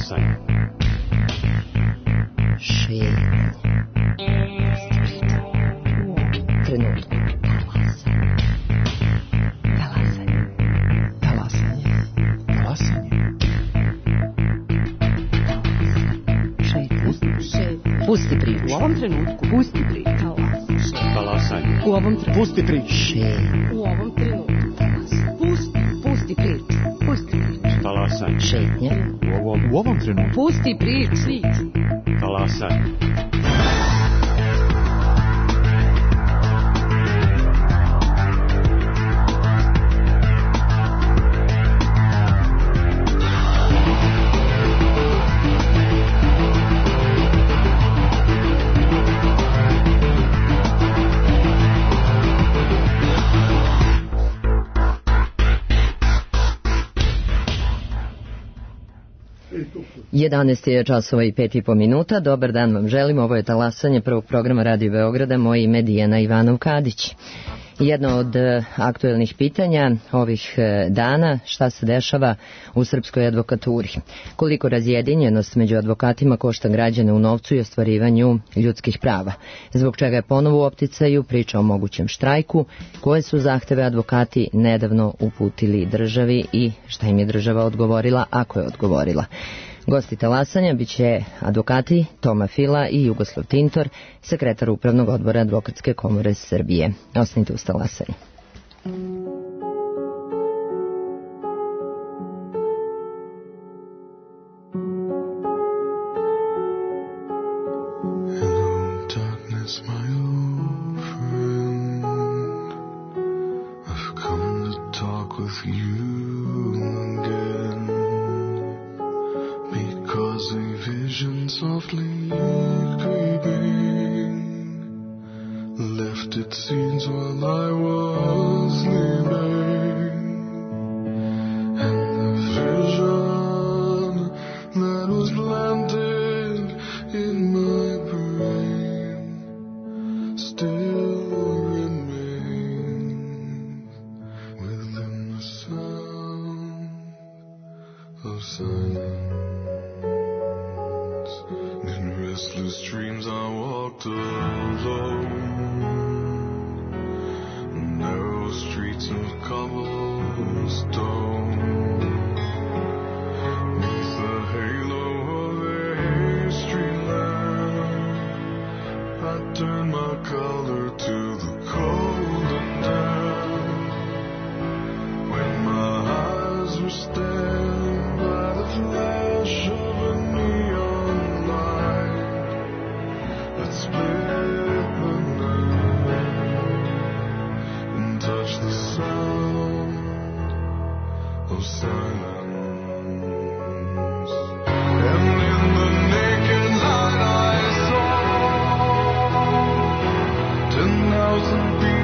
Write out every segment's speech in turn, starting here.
Talasanje. Šetnje. Trenutku. Talasanje. Talasanje. Talasanje. Šetnje. Pusti priču. U ovom trenutku. Pusti priču. Talasanje. U ovom trenutku. Pusti priču. U ovom trenutku. Pusti priču. Pusti priču. Talasanje. Šetnje. U ovom trenutku. Pusti priču. Talasanje. Jedanaest je časova i 5,5 minuta. Dobar dan vam želim. Ovo je Talasanje prvog programa Radio Beograda. Moje ime je Dijana Ivanov-Kadić. Jedno od aktuelnih pitanja ovih dana, šta se dešava u srpskoj advokaturi. Koliko razjedinjenost među advokatima košta građane u novcu i ostvarivanju ljudskih prava. Zbog čega je ponovo u opticaju priča o mogućem štrajku, koje su zahteve advokati nedavno uputili državi i šta im je država odgovorila, ako je odgovorila. Gosti Talasanja biće advokati Toma Fila i Jugoslav Tintor, sekretar Upravnog odbora Advokatske komore Srbije. Ostanite uz Talasanje. Songs and voices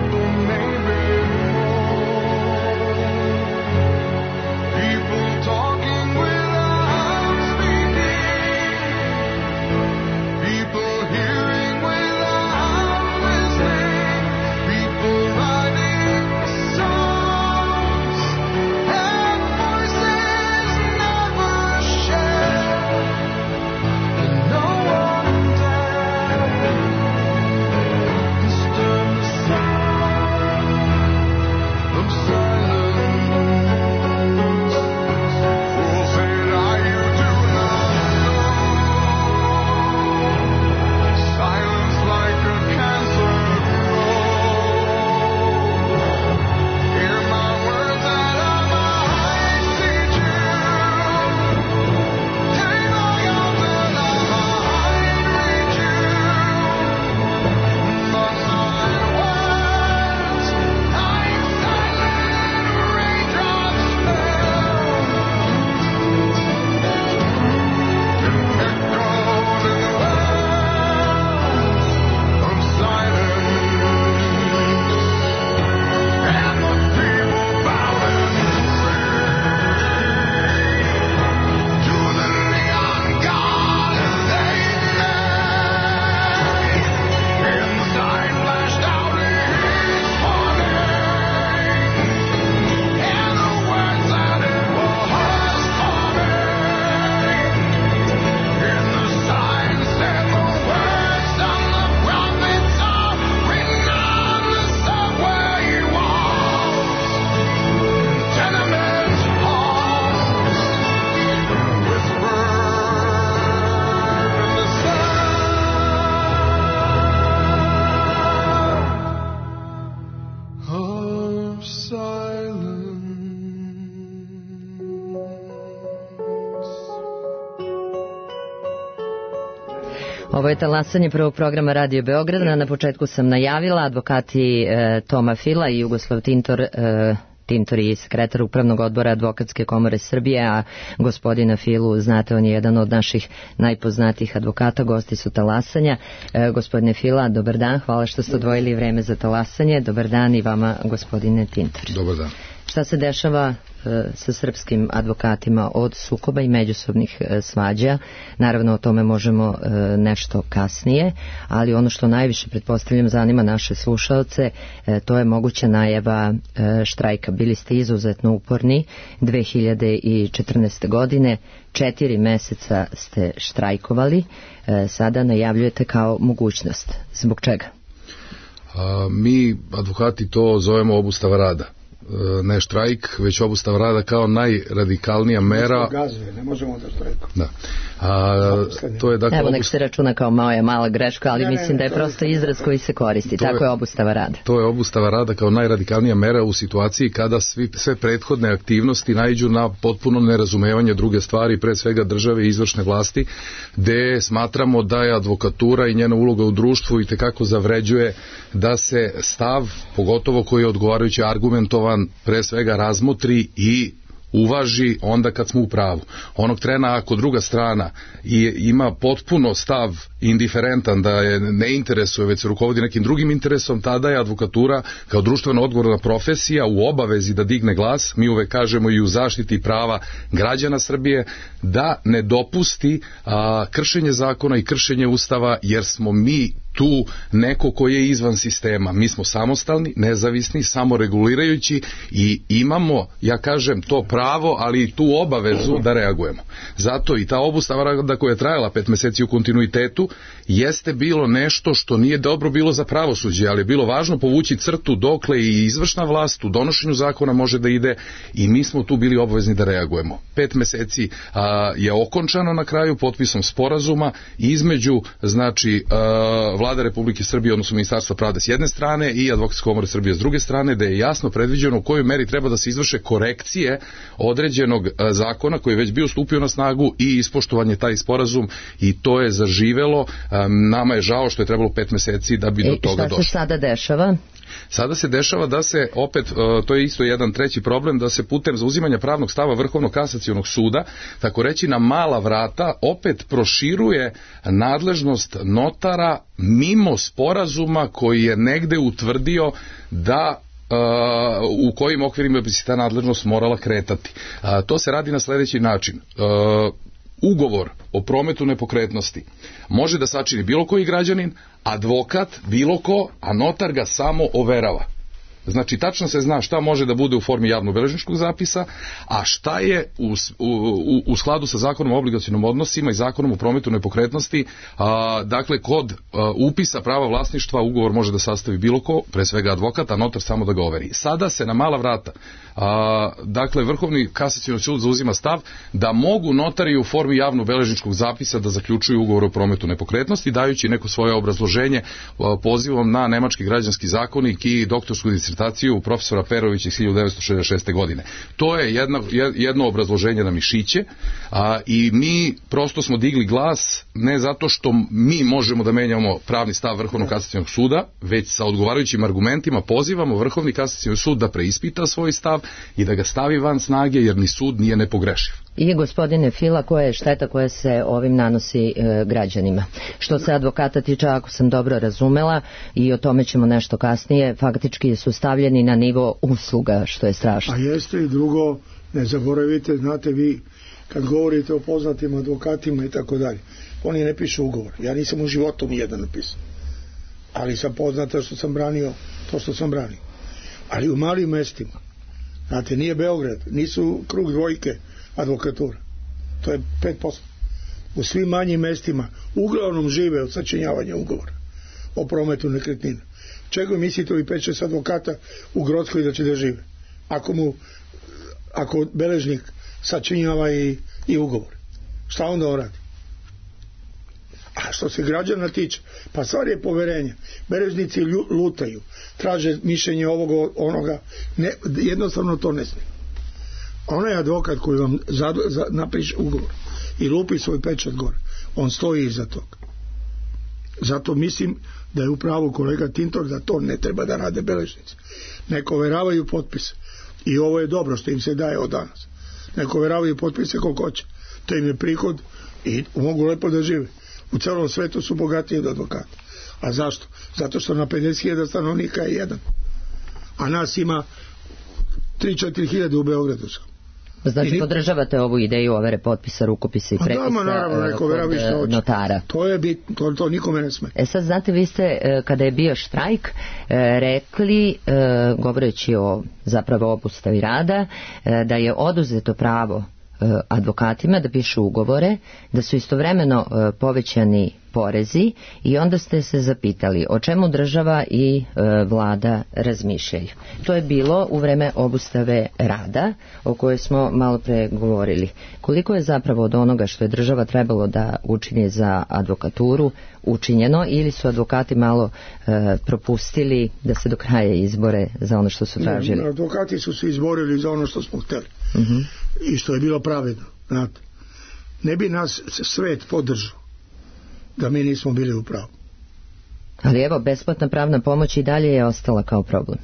Ovo je talasanje prvog programa Radio Beograda. Na početku sam najavila advokati Toma Fila i Jugoslav Tintor, Tintor je sekretar Upravnog odbora Advokatske komore Srbije, a gospodina Filu, znate, on je jedan od naših najpoznatijih advokata, gosti su talasanja. Gospodine Fila, dobar dan, hvala što ste odvojili vreme za talasanje. Dobar dan i vama, gospodine Tintor. Dobar dan. Šta se dešava sa srpskim advokatima od sukoba i međusobnih svađa? Naravno, o tome možemo nešto kasnije, ali ono što najviše, pretpostavljam, zanima naše slušaoce, to je moguća najava štrajka. Bili ste izuzetno uporni 2014. godine, 4 meseca ste štrajkovali, sada najavljujete kao mogućnost. Zbog čega? Mi, advokati, to zovemo obustava rada. Ne štrajk, već obustava rada kao najradikalnija mera. Ne možemo da štrajkujemo. Da. To je, dakle, evo, nek se računa kao moja mala greška, ali mislim da je prosto izraz koji se koristi. Tako je obustava rada. To je obustava rada kao najradikalnija mera u situaciji kada sve prethodne aktivnosti naiđu na potpuno nerazumevanje druge stvari, pre svega države i izvršne vlasti, gde smatramo da je advokatura i njena uloga u društvu itekako zavređuje da se stav, pogotovo koji je odgovarajući argumentovan, pre svega razmotri i uvaži onda kad smo u pravu. Onog trena ako druga strana ima potpuno stav indiferentan, da je ne interesuje, već se rukovodi nekim drugim interesom, tada je advokatura kao društveno odgovorna profesija u obavezi da digne glas, mi uvek kažemo i u zaštiti prava građana Srbije, da ne dopusti kršenje zakona i kršenje ustava, jer smo mi tu neko koji je izvan sistema. Mi smo samostalni, nezavisni, samoregulirajući i imamo, ja kažem, to pravo, ali i tu obavezu da reagujemo. Zato i ta obustava rada koja je trajala 5 meseci u kontinuitetu jeste bilo nešto što nije dobro bilo za pravosuđe, ali je bilo važno povući crtu dokle i izvršna vlast u donošenju zakona može da ide i mi smo tu bili obavezni da reagujemo. 5 meseci je okončano na kraju potpisom sporazuma između, znači, Vlada Republike Srbije, odnosno Ministarstva pravde s jedne strane i Advokatske komore Srbije s druge strane, da je jasno predviđeno u kojoj meri treba da se izvrše korekcije određenog zakona koji je već bio stupio na snagu i ispoštovan je taj sporazum i to je zaživelo. Nama je žao što je trebalo 5 meseci da bi do toga došlo. Šta se sada dešava? Sada se dešava da se opet, to je isto jedan treći problem, da se putem zauzimanja pravnog stava Vrhovnog kasacionog suda, tako reći na mala vrata, opet proširuje nadležnost notara mimo sporazuma koji je negde utvrdio da u kojim okvirima bi se ta nadležnost morala kretati. To se radi na sledeći način. Ugovor o prometu nepokretnosti može da sačini bilo koji građanin, advokat bilo ko, a notar ga samo overava. Znači, tačno se zna šta može da bude u formi javno-beležničkog zapisa, a šta je u skladu sa zakonom o obligacionim odnosima i zakonom o prometu nepokretnosti. Dakle, kod upisa prava vlasništva ugovor može da sastavi bilo ko, pre svega advokat, a notar samo da ga overi. Sada se na mala vrata, dakle, Vrhovni kasacioni sud zauzima stav da mogu notari u formi javno-beležničkog zapisa da zaključuju ugovor o prometu nepokretnosti, dajući neko svoje obrazloženje pozivom na nemački građanski zakonik i doktorsku disertaciju profesora Perovića iz 1966. godine. To je jedno obrazloženje na mišiće i mi prosto smo digli glas ne zato što mi možemo da menjamo pravni stav Vrhovnog kasacionog suda, već sa odgovarajućim argumentima pozivamo Vrhovni kasacioni sud da preispita svoj stav i da ga stavi van snage, jer ni sud nije nepogrešiv. I gospodine Fila, koja je šteta koja se ovim nanosi građanima? Što se advokata tiče, ako sam dobro razumela, i o tome ćemo nešto kasnije, faktički su stavljeni na nivo usluga, što je strašno. A jeste i drugo, ne zaboravite, znate vi, kad govorite o poznatim advokatima i tako dalje, oni ne pišu ugovor. Ja nisam u životu nijedan napisao. Ali sam poznata što sam branio to što sam branio. Ali u malim mestima, znate, nije Beograd, nisu krug dvojke advokatura. To je 5%. U svim manjim mestima uglavnom žive od sačinjavanja ugovora o prometu nekretnina. Čego mislite ovi 5-6 advokata u Grockoj da će da žive? Ako beležnik sačinjava i ugovor. Šta onda on radi? A što se građana tiče, pa stvar je poverenja. Beležnici lutaju, traže mišljenje ovoga, onoga, ne, jednostavno to ne smije. Onaj advokat koji vam napiše ugovor i lupi svoj pečat gore, on stoji iza toga. Zato mislim da je upravo kolega Tintor da to ne treba da rade beležnici. Neko overavaju potpise. I ovo je dobro što im se daje od danas. Neko overavaju potpise koliko hoće. To im je prihod i mogu lepo da žive. U celom svetu su bogatiji od advokata. A zašto? Zato što na 50.000 stanovnika je jedan. A nas ima 3-4 hiljade u Beogradu. Znači podržavate ovu ideju overe potpisa, rukopisa i prepisa kod notara. To je bitno, to nikome ne sme. Sad znate, vi ste kada je bio štrajk rekli, govoreći o zapravo obustavi rada, da je oduzeto pravo advokatima da pišu ugovore, da su istovremeno povećani porezi i onda ste se zapitali o čemu država i vlada razmišljaju. To je bilo u vreme obustave rada o kojoj smo malo pre govorili. Koliko je zapravo od onoga što je država trebalo da učini za advokaturu učinjeno ili su advokati malo propustili da se do kraja izbore za ono što su tražili? Ne, advokati su se izborili za ono što smo hteli. I što je bilo pravedno. Znate, ne bi nas svet podržao da mi nismo bili u pravu. Ali evo, besplatna pravna pomoć i dalje je ostala kao problem.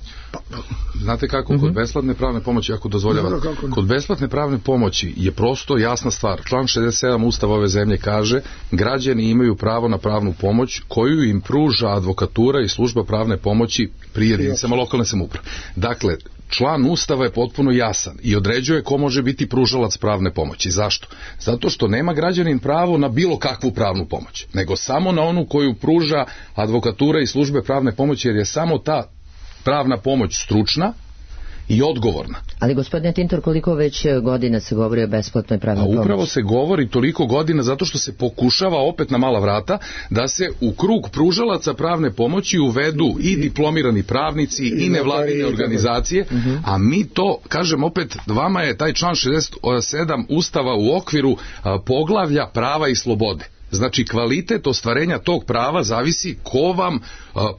Znate kako, kod besplatne pravne pomoći, ako dozvoljava, kod besplatne pravne pomoći je prosto jasna stvar. Član 67 Ustava ove zemlje kaže: građani imaju pravo na pravnu pomoć koju im pruža advokatura i služba pravne pomoći pri jedinicama lokalne samouprave. Dakle, član Ustava je potpuno jasan i određuje ko može biti pružalac pravne pomoći. Zašto? Zato što nema građanin pravo na bilo kakvu pravnu pomoć, nego samo na onu koju pruža advokatura i službe pravne pomoći, jer je samo ta pravna pomoć stručna i odgovorna. Ali gospodine Tintor, koliko već godina se govori o besplatnoj pravnoj pomoći? Upravo se govori toliko godina zato što se pokušava opet na mala vrata da se u krug pružalaca pravne pomoći uvedu i diplomirani pravnici i nevladine organizacije, a mi to, kažem opet, vama je taj član 67 Ustava u okviru poglavlja prava i slobode. Znači, kvalitet ostvarenja tog prava zavisi ko vam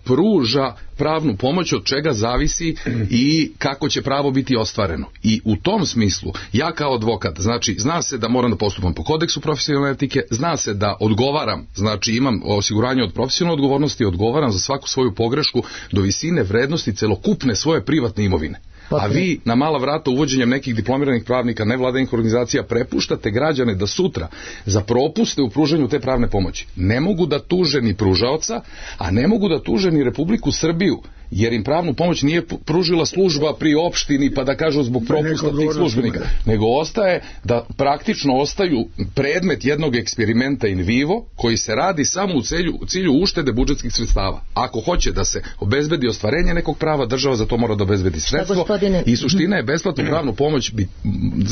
pruža pravnu pomoć, od čega zavisi i kako će pravo biti ostvareno. I u tom smislu, ja kao advokat, znači, zna se da moram da postupam po kodeksu profesionalne etike, zna se da odgovaram, znači imam osiguranje od profesionalne odgovornosti, odgovaram za svaku svoju pogrešku do visine vrednosti celokupne svoje privatne imovine. A vi na mala vrata uvođenjem nekih diplomiranih pravnika, nevladinih organizacija prepuštate građane da sutra za propuste u pružanju te pravne pomoći ne mogu da tuže ni pružaoca, a ne mogu da tuže ni Republiku Srbiju, jer im pravnu pomoć nije pružila služba pri opštini pa da kažu zbog propusta tih službenika, nego ostaje da praktično ostaju predmet jednog eksperimenta in vivo koji se radi samo u cilju uštede budžetskih sredstava. Ako hoće da se obezbedi ostvarenje nekog prava, država za to mora da obezbedi sredstvo i suština je besplatnu pravnu pomoć,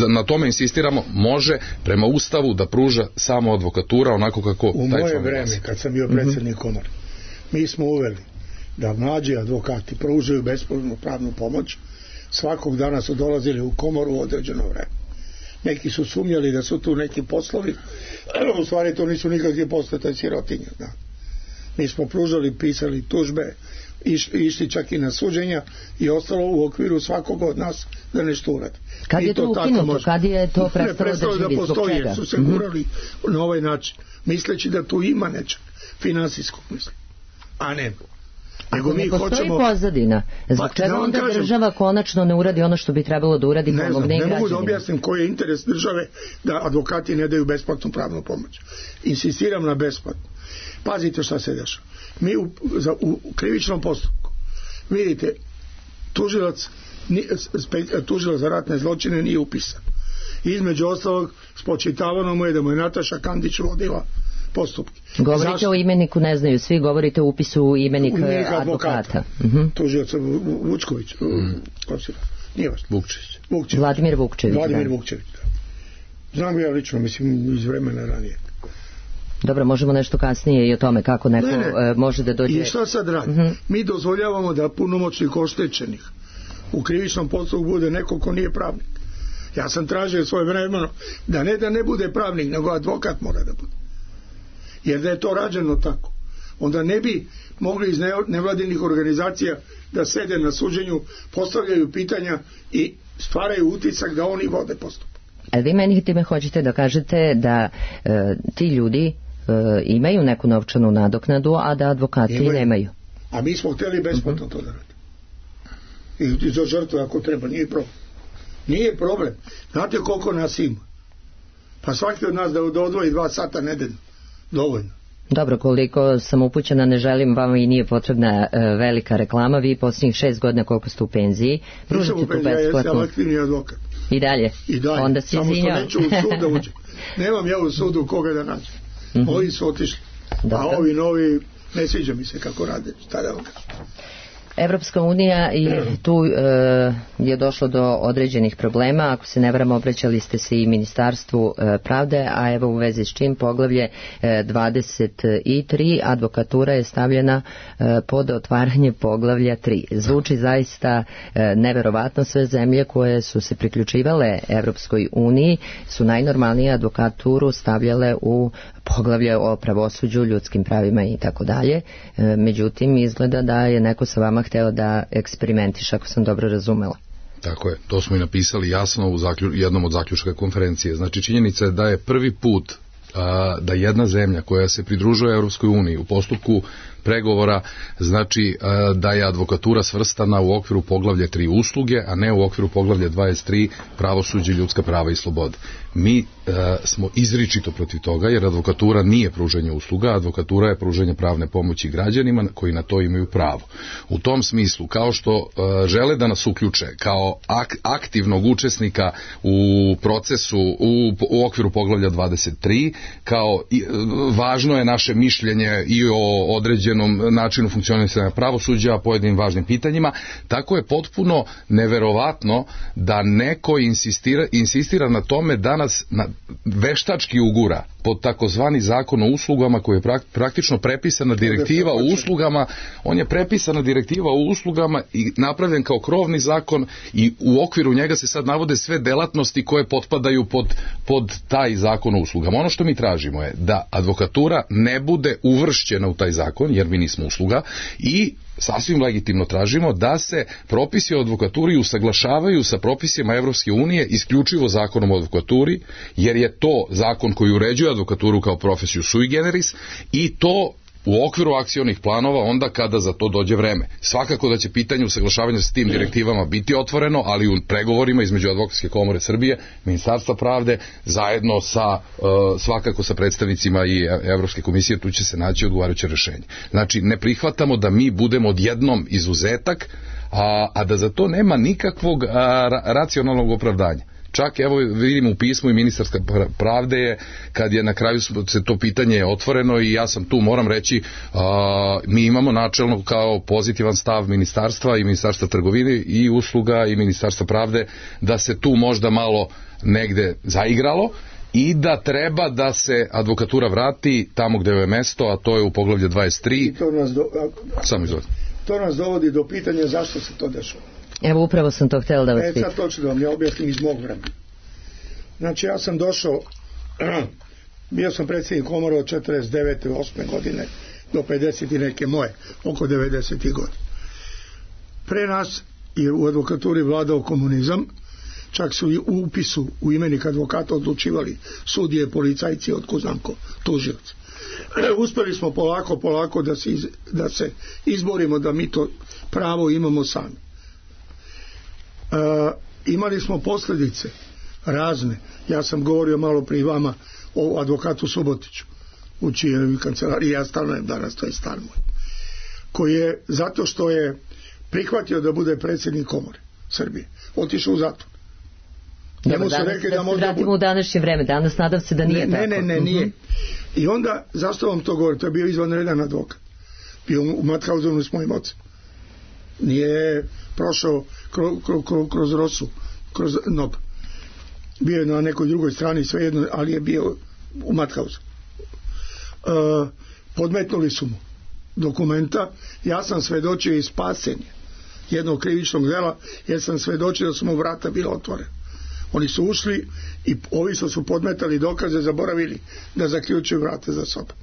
na tome insistiramo, može prema Ustavu da pruža samo advokatura onako kako u taj moje vreme kad sam bio predsjednik komore mi smo uveli da mlađi advokati pružaju besplatnu pravnu pomoć. Svakog dana su dolazili u komoru u određeno vreme. Neki su sumnjali da su tu neki poslovi, ali u stvari to nisu nikakvi poslovi, to je sirotinja. Da. Mi smo pružali, pisali tužbe, išli čak i na suđenja i ostalo u okviru svakog od nas da nešto uradi. Kad je to ukinuto? Kad je to prestalo da živi? Da postoji, jer su se gurali na ovaj način, misleći da tu ima nečeg finansijskog misli. A ne. Ako ne postoji pozadina, zbog čega onda država konačno ne uradi ono što bi trebalo da uradi pomogne i građanima? Ne mogu da objasnim koji je interes države da advokati ne daju besplatnu pravnu pomoć. Insistiram na besplatnu. Pazite šta se dešava. Mi u krivičnom postupku, vidite, tužilac za ratne zločine nije upisan. Između ostalog, spočitavano mu je da mu je Nataša Kandić vodila postupke. Govorite o imeniku, ne znaju svi, govorite o upisu u imenik advokata. Tužilac Vučković, nije važno. Vukčević. Vladimir Vukčević. Da. Znam ga ja lično, mislim, iz vremena ranije. Dobro, možemo nešto kasnije i o tome kako neko može da dođe. I šta sad radi? Mi dozvoljavamo da punomoćnik oštećenih u krivičnom postupku bude neko ko nije pravnik. Ja sam tražio svoje vremeno da ne bude pravnik, nego advokat mora da bude. Jer da je to rađeno tako, onda ne bi mogli iz nevladinih organizacija da sede na suđenju, postavljaju pitanja i stvaraju utisak da oni vode postupak. Ali vi meni time hoćete da kažete da ti ljudi imaju neku novčanu nadoknadu, a da advokati nemaju. A mi smo htjeli besplatno to da radimo. I za žrtve ako treba, nije problem. Nije problem. Znate koliko nas ima? Pa svaki od nas da odvoji 2 sata nedeljno. Dovoljno. Dobro, koliko sam upućena, ne želim, vama i nije potrebna velika reklama. Vi posljednjih 6 godina koliko ste u penziji, pružite tu besplatnu. Ja sam aktivni advokat. I dalje? Onda se samo izvinjam. što neću u sud da uđem. Nemam ja u sudu koga da nađem. Ovi su otišli. Dobro. A ovi novi, ne sviđa mi se kako rade. Šta da vam kažem? Evropska unija i tu je došlo do određenih problema. Ako se ne varam, obraćali ste se i Ministarstvu pravde, a evo u vezi s čim poglavlje 23 advokatura je stavljena pod otvaranje poglavlja 3. Zvuči zaista neverovatno. Sve zemlje koje su se priključivale Evropskoj uniji su najnormalnije advokaturu stavljale u poglavlje o pravosuđu, ljudskim pravima i tako dalje. Međutim, izgleda da je neko sa vama hteo da eksperimentiš, ako sam dobro razumela. Tako je, to smo i napisali jasno u jednom od zaključaka konferencije. Znači, činjenica je da je prvi put da jedna zemlja koja se pridružuje Europskoj uniji u postupku pregovora, znači da je advokatura svrstana u okviru poglavlja 3 usluge, a ne u okviru poglavlja 23 pravosuđe, ljudska prava i slobode. Mi smo izričito protiv toga, jer advokatura nije pružanje usluga, advokatura je pružanje pravne pomoći građanima koji na to imaju pravo. U tom smislu, kao što žele da nas uključe kao aktivnog učesnika u procesu u okviru poglavlja 23, kao važno je naše mišljenje i o određenom načinu funkcionisanja pravosuđa, pojedinim važnim pitanjima, tako je potpuno neverovatno da neko insistira na tome da nas veštački ugura pod takozvani zakon o uslugama koji je praktično prepisana direktiva o uslugama. On je prepisana direktiva o uslugama i napravljen kao krovni zakon i u okviru njega se sad navode sve delatnosti koje potpadaju pod taj zakon o uslugama. Ono što mi tražimo je da advokatura ne bude uvršćena u taj zakon, jer mi nismo usluga, i sasvim legitimno tražimo da se propisi o advokaturi usaglašavaju sa propisima Evropske unije isključivo zakonom o advokaturi, jer je to zakon koji uređuje advokaturu kao profesiju sui generis, i to u okviru akcionih planova onda kada za to dođe vreme. Svakako da će pitanje usaglašavanja s tim direktivama biti otvoreno, ali u pregovorima između Advokatske komore Srbije, Ministarstva pravde, zajedno sa svakako sa predstavnicima i Evropske komisije, tu će se naći odgovarajuće rešenje. Znači, ne prihvatamo da mi budemo odjednom izuzetak, a da za to nema nikakvog racionalnog opravdanja. Čak, evo, vidimo u pismu i ministarska pravde je, kad je na kraju se to pitanje otvoreno, i ja sam tu, moram reći, mi imamo načelno kao pozitivan stav ministarstva i ministarstva trgovine i usluga i ministarstva pravde da se tu možda malo negde zaigralo i da treba da se advokatura vrati tamo gde je mesto, a to je u poglavlju 23. To nas dovodi do pitanja zašto se to dešava. Evo, upravo sam to htjela da vas pitam. Sad točno da vam ja objasnim iz mog vremena. Znači, ja sam došao, bio sam predsjednik komore od 49. 8. godine do 50. i neke moje, oko 90. godine. Pre nas je u advokaturi vladao komunizam, čak su i u upisu u imenik advokata odlučivali sudije, policajci, otko znam ko, tužioci. Uspeli smo polako da se izborimo da mi to pravo imamo sami. Imali smo posljedice razne. Ja sam govorio malo prije vama o advokatu Subotiću, u čijoj kancelariji ja stanujem danas, to je stan moj, koji je, zato što je prihvatio da bude predsjednik komore Srbije, otišao u zatvor. Njemu su rekli da možda vratimo u današnje vreme, danas nadam se da nije tako. Ne, nije. I onda, zašto vam to govorim, to je bio izvanredan advokat, bio u Mathausenu s mojim ocem, nije prošao kroz Rosu, kroz NOB, bio je na nekoj drugoj strani, svejedno, ali je bio u Mathausu. Podmetnuli su mu dokumenta, ja sam svedočio i spasenje jednog krivičnog dela, jer sam svedočio da su mu vrata bila otvorena. Oni su ušli i ovi su podmetali dokaze, zaboravili da zaključuju vrata za sobom.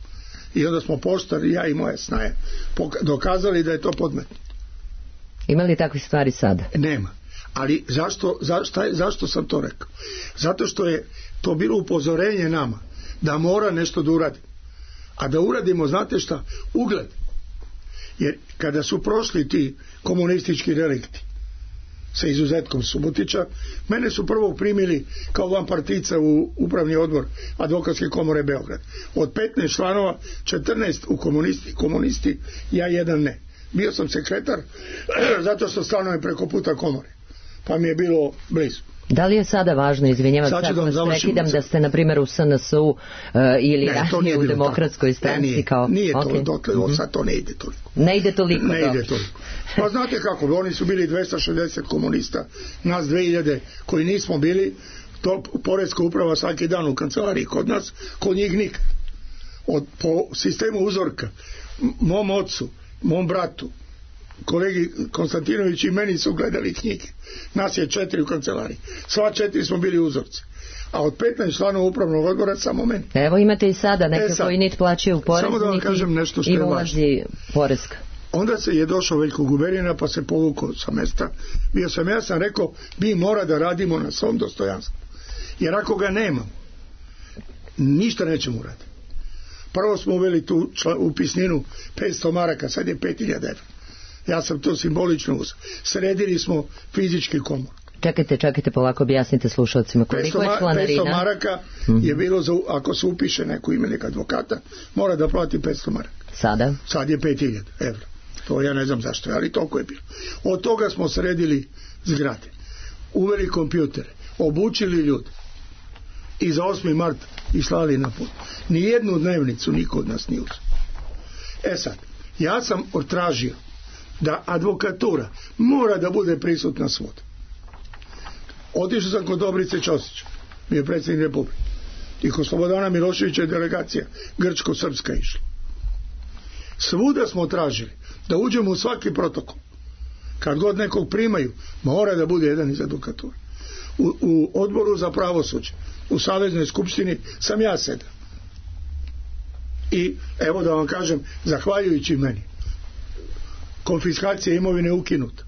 I onda smo poštari, ja i moja snaja, dokazali da je to podmetno. Ima li takvih stvari sada? Nema. Ali zašto sam to rekao? Zato što je to bilo upozorenje nama da mora nešto da uradi. a da uradimo, znate šta, ugled. Jer kada su prošli ti komunistički relikti, sa izuzetkom Subotića, mene su prvo primili kao vanpartica u upravni odbor Advokatske komore Beograd. Od 15 članova, 14 u komunisti, ja jedan ne. Bio sam sekretar, zato što stanujem preko puta komore, pa mi je bilo blizu. Da li je sada važno, izvinjavam se ako vas prekidam, da ste na primjer u SNS-u ili ranije u Demokratskoj stranci kao... Nije to, sad to ne ide toliko. Ne ide toliko. Ne ide toliko. Pa znate kako, oni su bili 260 komunista, nas 2000 koji nismo bili, to poreska uprava svaki dan u kancelariji kod nas, kod njih nikad. Po sistemu uzorka, mom ocu, mom bratu, kolegi Konstantinović i meni su gledali knjige. Nas je 4 u kancelariji. Sva 4 smo bili uzorci. A od 15 članova upravnog odbora samo meni. Evo imate i sada neke koji niti plaćaju porez, samo da vam kažem nešto što i je ulazi poreska. Onda se je došao Veljko Guberina pa se povukao sa mesta. Ja sam rekao, mi mora da radimo na svom dostojanstvu. Jer ako ga nema, ništa nećemo uraditi. Prvo smo uveli tu upisninu 500 maraka, sad je 5000 evra. Ja sam to simbolično uzeo. Sredili smo fizički komor. Čekajte, polako objasnite slušalcima. Koliko je članarina? 500 maraka je bilo, ako se upiše neko imenik advokata, mora da plati 500 maraka. Sada? Sad je 5000 evra. To ja ne znam zašto je, ali toliko je bilo. Od toga smo sredili zgrade. Uveli kompjutere. Obučili ljude. I za 8. mart islali na put. Nijednu dnevnicu niko od nas nije uzeo. Sad, ja sam tražio da advokatura mora da bude prisutna svud. Otišao sam kod Dobrice Ćosića, bio je predsjednik Republike, i kod Slobodana Miloševića je delegacija grčko-srpska išla. Svuda smo tražili da uđemo u svaki protokol. Kad god nekog primaju, mora da bude jedan iz advokature. U odboru za pravosuđe, u Saveznoj skupštini sam ja sedam. I evo da vam kažem, zahvaljujući meni, konfiskacija imovine je ukinuta.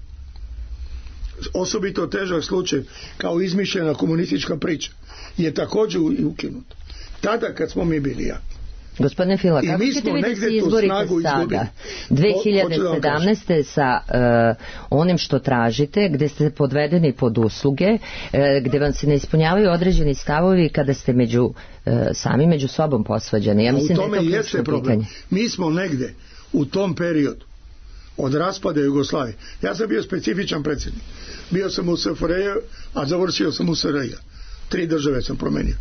Osobito težak slučaj kao izmišljena komunistička priča je također ukinuta. Tada kad smo mi bili jaki. Gospodine Fila, kako ćete vi da se izborite sada 2017. sa onim što tražite, gde ste podvedeni pod usluge, gde vam se ne ispunjavaju određeni stavovi kada ste sami među sobom posvađani? Ja mislim da je to ključno pitanje. Mi smo negde u tom periodu od raspada Jugoslavije. Ja sam bio specifičan predsjednik. Bio sam u SFRJ, a završio sam u SRJ. 3 države sam promenio.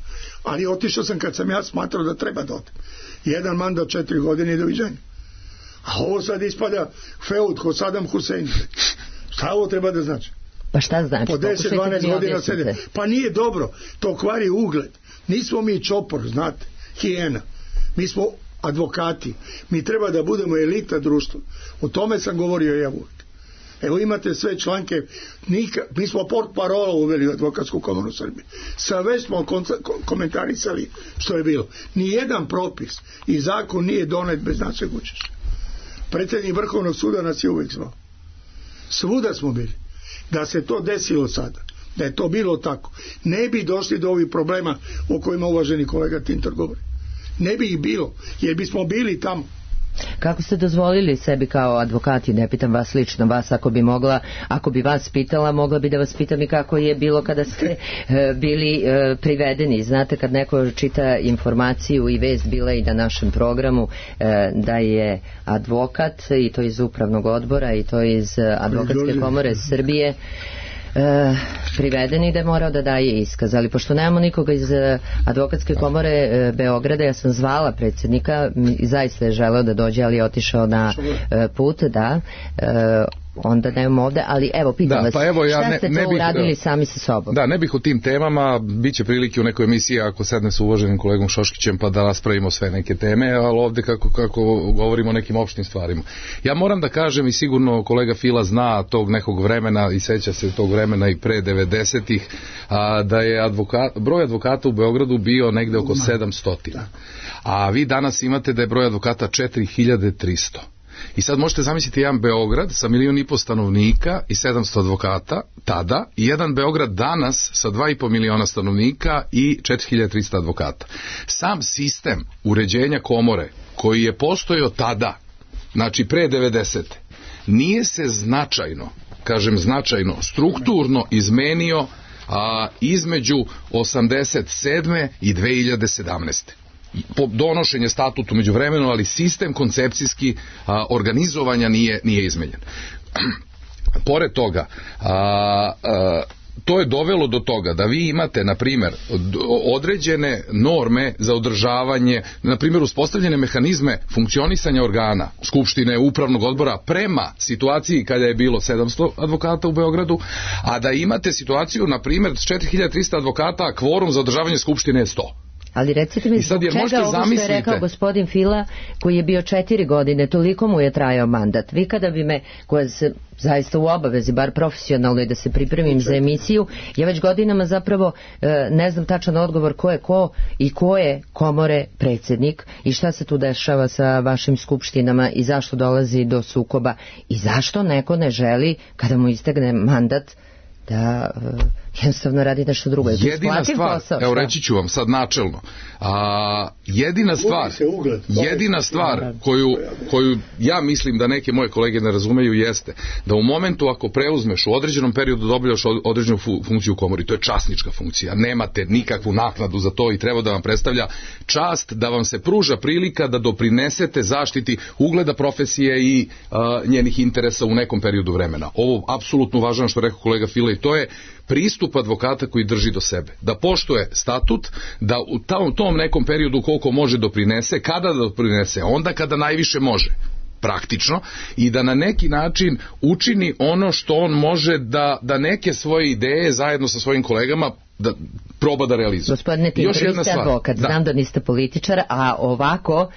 Ali otišao sam kad sam ja smatrao da treba da odem. Jedan mandat 4 godine i doviđenja. A ovo sad ispada feud kod Saddam Hussein. Šta ovo treba da znači? Pa šta znači? Po 10-12 godina sede. Pa nije dobro. To kvari ugled. Nismo mi čopor, znate, hijena. Mi smo advokati. Mi treba da budemo elita društva. O tome sam govorio ja uvijek. Evo imate sve članke, mi smo port parola uveli u Advokatsku komoru Srbije. Sve smo komentarisali što je bilo. Nijedan propis i zakon nije donet bez našeg učešća. Predsjednik Vrhovnog suda nas je uvijek zvao. Svuda smo bili. Da se to desilo sada, da je to bilo tako, ne bi došli do ovih problema o kojima uvaženi kolega Tintor govori. Ne bi ih bilo, jer bismo bili tamo. Kako ste dozvolili sebi kao advokati, ne pitam vas lično, vas ako bi vas pitala, mogla bi da vas pitam i kako je bilo kada ste bili privedeni. Znate, kad neko čita informaciju i vest, bila i na našem programu, da je advokat, i to iz upravnog odbora, i to iz Advokatske komore Srbije, privedeni, da je morao da daje iskaz, ali pošto nemamo nikoga iz Advokatske komore Beograda, ja sam zvala predsjednika i zaista je želeo da dođe, ali je otišao na put, onda nemamo ovde, ali evo pitam vas, šta ste to uradili sami sa sobom? Da, ne bih o tim temama, bit će prilike u nekoj emisiji ako sedne sa uvaženim kolegom Šoškićem pa da raspravimo sve neke teme, ali ovde kako govorimo o nekim opštim stvarima. Ja moram da kažem, i sigurno kolega Fila zna tog nekog vremena i seća se tog vremena i pre 90-ih, da je broj advokata u Beogradu bio negde oko 700. A vi danas imate da je broj advokata 4300. I sad možete zamisliti jedan Beograd sa 1,5 miliona stanovnika i 700 advokata tada, i jedan Beograd danas sa 2,5 miliona stanovnika i 4300 advokata. Sam sistem uređenja komore koji je postojao tada, znači pre 90. nije se značajno, kažem značajno, strukturno izmenio između 87. i 2017. Donošenje statutu među vremenu, ali sistem koncepcijski organizovanja nije izmenjen. Pored toga, to je dovelo do toga da vi imate, na primjer, određene norme za održavanje, na primjer, uspostavljene mehanizme funkcionisanja organa, skupštine, upravnog odbora, prema situaciji kada je bilo 700 advokata u Beogradu, a da imate situaciju, na primjer, 4300 advokata, a kvorum za održavanje skupštine je 100. Ali recite mi, zbog čega ovo što je rekao gospodin Fila, koji je bio 4 godine, toliko mu je trajao mandat. Vi kada bi me, koja se zaista u obavezi, bar profesionalno, i da se pripremim za emisiju, ja već godinama zapravo ne znam tačan odgovor ko je ko i ko je komore predsjednik i šta se tu dešava sa vašim skupštinama i zašto dolazi do sukoba i zašto neko ne želi, kada mu istegne mandat, da jednostavno radi nešto drugo. Jedina stvar, evo reći ću vam sad načelno, jedina stvar koju ja mislim da neke moje kolege ne razumeju jeste da u momentu ako preuzmeš u određenom periodu dobijaš određenu funkciju u komori, to je časnička funkcija, nemate nikakvu naknadu za to i treba da vam predstavlja čast da vam se pruža prilika da doprinesete zaštiti ugleda profesije i njenih interesa u nekom periodu vremena. Ovo apsolutno važno što rekao kolega Fila i to je pristup advokata koji drži do sebe. Da poštuje statut, da u tom nekom periodu koliko može doprinese, kada doprinese, onda kada najviše može, praktično, i da na neki način učini ono što on može da neke svoje ideje zajedno sa svojim kolegama da proba da realizuje. Gospodine Tintor, vi ste advokat, znam da niste političar, a ovako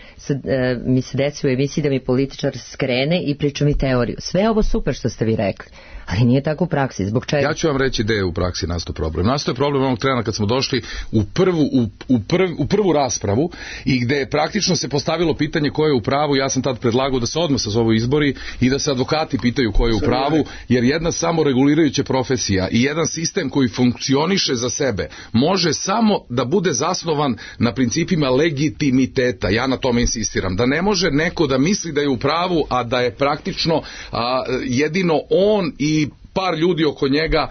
mi se desi u emisiji da mi političar skrene i priča mi teoriju. Sve ovo super što ste vi rekli, ali nije tako u praksi. Zbog čega? Ja ću vam reći gde je u praksi nastao problem. Nastao je problem onog trena kad smo došli u prvu raspravu i gde je praktično se postavilo pitanje ko je u pravu. Ja sam tad predlagao da se odmah sazovu izbori i da se advokati pitaju ko je u pravu, jer jedna samoregulirajuća profesija i jedan sistem koji funkcioniše za sebe može samo da bude zasnovan na principima legitimiteta. Ja na tome insistiram. Da ne može neko da misli da je u pravu, a da je praktično jedino on i par ljudi oko njega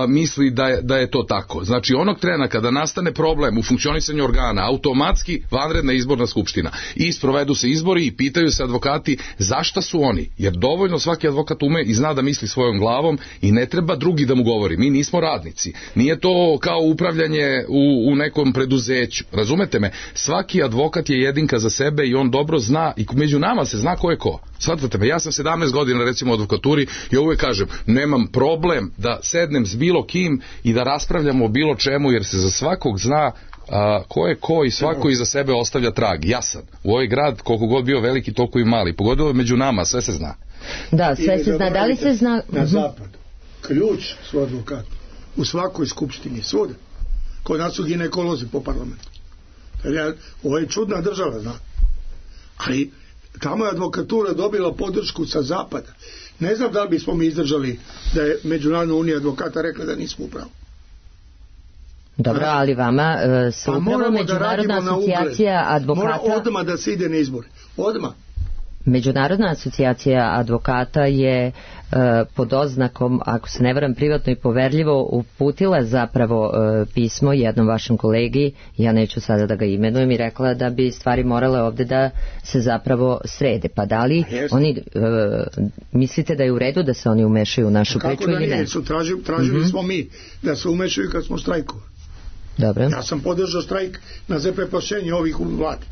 misli da je to tako. Znači onog trena kada nastane problem u funkcionisanju organa, automatski vanredna izborna skupština i sprovedu se izbori i pitaju se advokati zašta su oni, jer dovoljno svaki advokat ume i zna da misli svojom glavom i ne treba drugi da mu govori. Mi nismo radnici, nije to kao upravljanje u nekom preduzeću, razumete me, svaki advokat je jedinka za sebe i on dobro zna i među nama se zna ko je ko. Shvatate me, ja sam 17 godina recimo u advokaturi i uvek kažem, nemam problem da sednem s bilo kim i da raspravljamo o bilo čemu, jer se za svakog zna ko je ko i svako iza sebe ostavlja trag. Jasan. U ovaj grad, koliko god bio veliki, toliko i mali. Pogotovo među nama, sve se zna. Da, sve se zna. Da li se zna? Na zapadu. Ključ su advokati. U svakoj skupštini, svuda. Kod nas su ginekolozi po parlamentu. Ovo je čudna država, zna. Ali tamo je advokatura dobila podršku sa zapada. Ne znam da li bismo mi izdržali da je Međunarodna unija advokata rekla da nismo u pravu. Dobro, ali vama se upravo Međunarodna asocijacija advokata... Mora odmah da se ide na izbore. Odmah. Međunarodna asocijacija advokata je pod oznakom, ako se ne varam, privatno i poverljivo uputila zapravo pismo jednom vašem kolegi, ja neću sada da ga imenujem, i rekla da bi stvari morale ovde da se zapravo srede. Pa da li oni mislite da je u redu da se oni umešaju u našu priču ili ne? Tražili smo mi da se umešaju kad smo štrajkovali. Dobro. Ja sam podržao štrajk na zaprepašćenje ovih u vladi.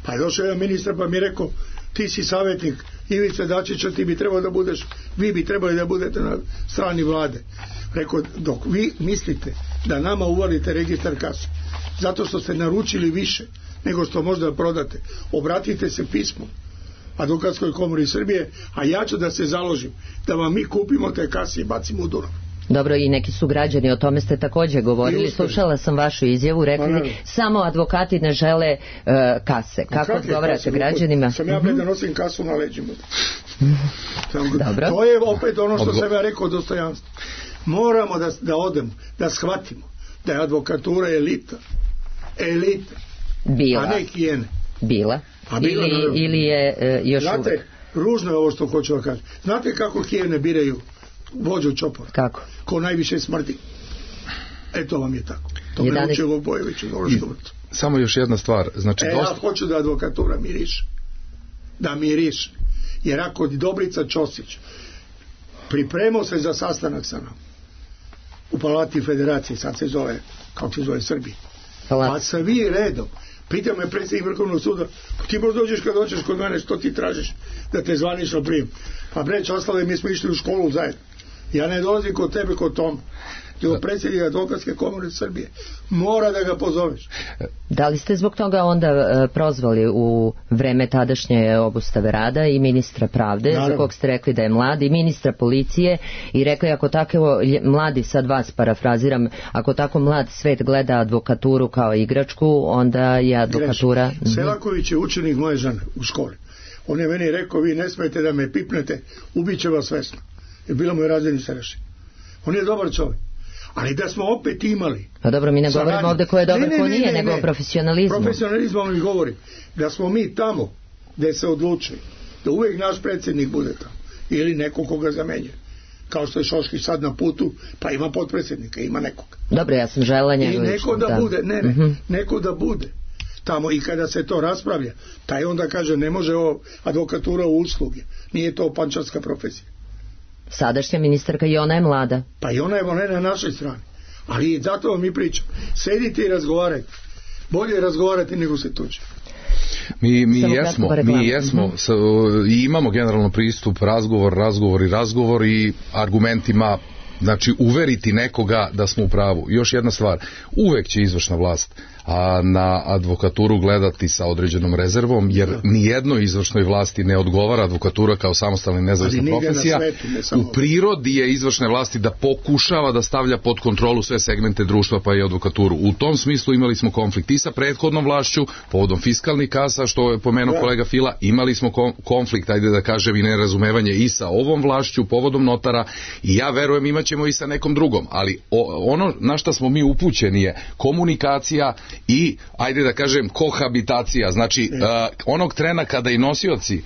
Pa je došao jedan ministar pa mi je rekao, ti si savjetnik Ivice Dačića, ti bi trebao da budeš, vi bi trebali da budete na strani vlade. Rekao, dok vi mislite da nama uvalite registar kase, zato što ste naručili više nego što možda prodate, obratite se pismom Advokatskoj komori Srbije, a ja ću da se založim da vam mi kupimo te kase i bacimo u Dunav. Dobro, i neki su građani, o tome ste također govorili, slušala sam vašu izjavu, rekli samo advokati ne žele kase. Kako odgovarate građanima? Sam ja da nosim kasu na leđima. To je opet ono što sam ja rekao, dostojanstvo. Moramo da odemo, da shvatimo da je advokatura elita, a ne hijene. Bila? A bila, ili je još znate, uvek? ružno je ovo što hoću da kažem. Znate kako hijene biraju vođu čopora? Kako? Ko najviše smrdi. To vam je tako. To me učio Bobojević u Dološkom vrtu. Samo još jedna stvar. Znači, ja hoću da advokatura miriše. Da miriše. Jer ako Dobrica Ćosić pripremao se za sastanak sa nam u Palati Federacije, sad se zove, kako se zove, Srbije. Pa sa vi redom. Pita me predsjednik Vrhovnog suda, ti možda dođeš kad dođeš kod mene, što ti tražiš da te zvanično prijem? Pa breć, ostale, mi smo išli u školu zajedno. Ja ne dolazim kod tebe, kod Tom. Nego predsjednik Advokatske komore Srbije. Mora da ga pozoveš. Da li ste zbog toga onda prozvali u vreme tadašnje obustave rada i ministra pravde, naravno, za kog ste rekli da je mlad, i ministra policije, i rekli ako tako mladi, sad vas parafraziram, ako tako mlad svet gleda advokaturu kao igračku, onda je advokatura... Selaković je učenik moje žene u školi. On je meni rekao, vi ne smijete da me pipnete, ubiće vas svesno. Jer bila mu je razredni starešin. On je dobar čovjek. Ali da smo opet imali... Pa dobro, mi ne govorimo ovdje ko je dobar, ko nije, nego o profesionalizmu. Profesionalizmom mi govori da smo mi tamo gdje se odlučuje, da uvijek naš predsjednik bude tamo. Ili neko koga zamenjuje. Kao što je Šoškić sad na putu, pa ima potpredsjednika, ima nekoga. Dobro, ja sam žela njega. I neko da bude, neko da bude tamo, i kada se to raspravlja, taj onda kaže, ne može ovo advokatura u usluge. Nije to pančarska profesija. Sadašnja ministarka i ona je mlada. Pa i ona je na našoj strani. Ali zato vam mi pričam. Sedite i razgovarajte. Bolje razgovarati nego se tuče. Mi jesmo i imamo generalno pristup razgovor i argumentima, znači uveriti nekoga da smo u pravu. Još jedna stvar, uvek će izvršna vlast na advokaturu gledati sa određenom rezervom, jer nijednoj izvršnoj vlasti ne odgovara advokatura kao samostalna i nezavisna profesija. U prirodi je izvršne vlasti da pokušava da stavlja pod kontrolu sve segmente društva, pa i advokaturu. U tom smislu imali smo konflikt i sa prethodnom vlašću, povodom fiskalnih kasa, što je pomenuo kolega Fila, imali smo konflikt, ajde da kažem, i nerazumevanje i sa ovom vlašću, povodom notara, i ja verujem imaćemo i sa nekom drugom, ali ono na šta smo mi upućeni je komunikacija i, ajde da kažem, kohabitacija. Znači, onog trena kada i nosioci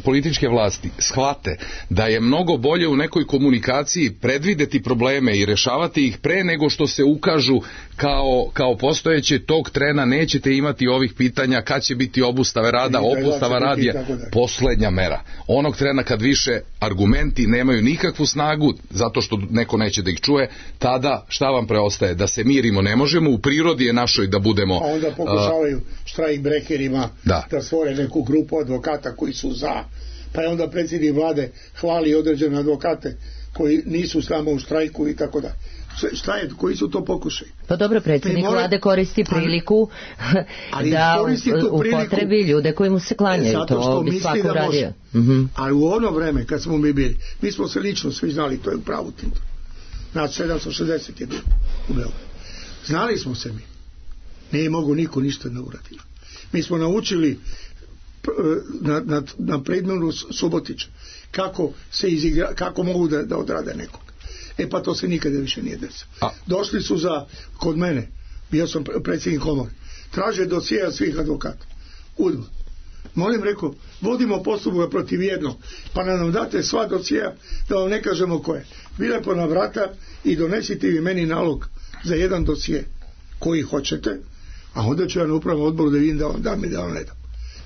političke vlasti shvate da je mnogo bolje u nekoj komunikaciji predvideti probleme i rešavati ih pre nego što se ukažu kao postojeće, tog trena nećete imati ovih pitanja kad će biti obustave rada. Obustava rada je poslednja mera. Onog trena kad više argumenti nemaju nikakvu snagu zato što neko neće da ih čuje, tada šta vam preostaje? Da se mirimo ne možemo, u prirodi je našoj da budemo... A onda pokušavaju štrajk brekerima da stvore neku grupu advokata koji su za, pa je onda predsjednik vlade hvali određene advokate koji nisu s nama u štrajku i tako da. Šta je, koji su to pokušaj? Pa dobro, predsjednik vlade koristi priliku da upotrebi ljude koji mu se klanjaju. Zato što misli da može. Ali u ono vreme kad smo mi bili, mi smo se lično svi znali, to je u pravu Tinto. Znači 760 je bilo u Beogradu. Znali smo se mi. Nije mogu niko ništa ne uraditi. Mi smo naučili na predmenu Subotića kako mogu da odrade nekog. Pa to se nikada više nije desilo. Došli su kod mene, bio sam predsjednik komore, traže dosjeja svih advokata. Udva. Molim, rekao, vodimo postupak protiv jednog, pa nam date sva dosjeja da vam ne kažemo ko je. Vi lepo na vrata i donesite vi meni nalog za jedan dosje koji hoćete, a onda ću ja na upravnom odboru da vidim da vam dam i da vam ne dam.